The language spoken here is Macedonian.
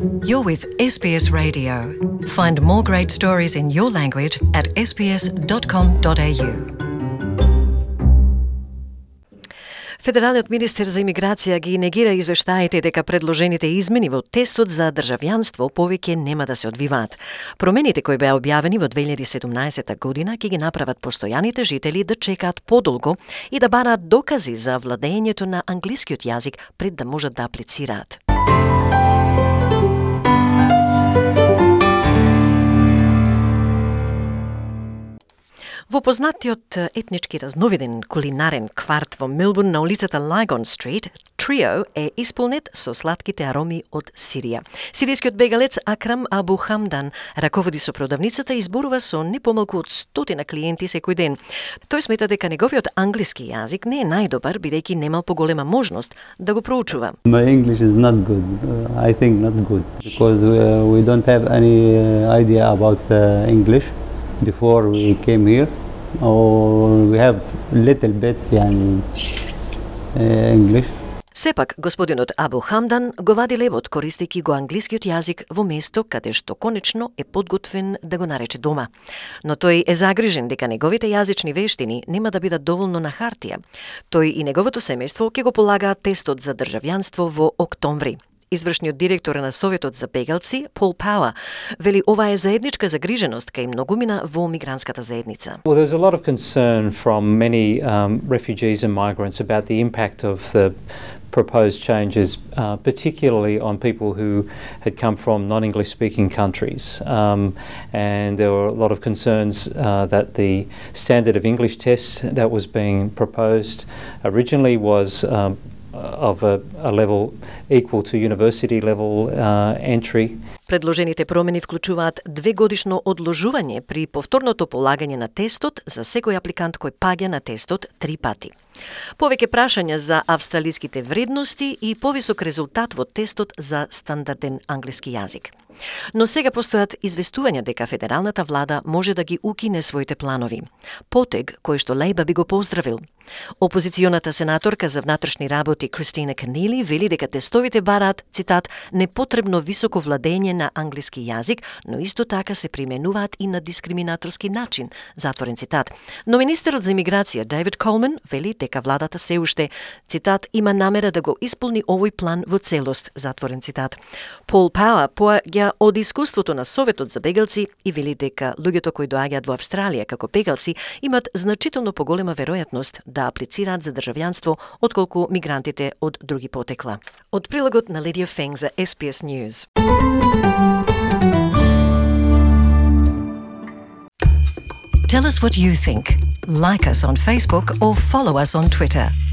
You're with SBS Radio. Find more great stories in your language at sbs.com.au. Федералниот министер за имиграција ги негира извештаите дека предложените измени во тестот за државјанство повеќе нема да се одвиваат. Промените кои беа објавени во 2017 година ќе ги направат постојаните жители да чекаат подолго и да бараат докази за владењето на англискиот јазик пред да можат да аплицираат. Во познатиот етнички разновиден кулинарен кварт во Мелбурн на улицата Lygon Street, Trio е исполнет со сладките ароми од Сирија. Сиријскиот бегалец Акрам Абу Хамдан раководи со продавницата и зборува со не помалку од 100 клиенти секој ден. Тој смета дека неговиот англиски јазик не е најдобар, бидејќи немал поголема можност да го проучува. My English is not good. I think not good because we don't have any idea about English before we came here. Or we have little bit English. Сепак, господинот Абу Хамдан го вади левот користејќи го англискиот јазик во место каде што конечно е подготвен да го нарече дома. Но тој е загрижен дека неговите јазични вештини нема да бидат доволно на хартија. Тој и неговото семејство ќе го полагаат тестот за државјанство во октомври. Извршниот директор на Советот за бегалци, Пол Пауа, вели ова е заедничка загриженост кај многумина во мигрантската заедница. Well, there's a lot of concern from many refugees and migrants about the impact of the proposed changes, particularly on people who had come from non-English speaking countries. And there were a lot of concerns that the standard of English test that was being proposed originally was of a level equal to university level entry. Предложените промени вклучуваат 2-годишно одложување при повторното полагање на тестот за секој апликант кој паѓа на тестот 3 пати. Повеќе прашања за австралиските вредности и повисок резултат во тестот за стандарден англиски јазик. Но сега постојат известувања дека федералната влада може да ги укине своите планови. Потег кој што Лејба би го поздравил. Опозиционата сенаторка за внатрешни работи Кристина Канили вели дека тестовите бараат, цитат, непотребно високо владење на англиски јазик, но исто така се применуваат и на дискриминаторски начин, затворен цитат. Но министерот за имиграција Дейвид Колман вели дека владата се уште, цитат, има намера да го исполни овој план во целост, затворен цитат. Пол Пауа поаѓа од искуството на Советот за бегалци и вели дека луѓето кои доаѓаат во Австралија како бегалци имат значително поголема веројатност да аплицираат за државјанство отколку мигрантите од други потекла. Од прилогот на Лидија Фенг за SBS News. Tell us what you think. Like us on Facebook or follow us on Twitter.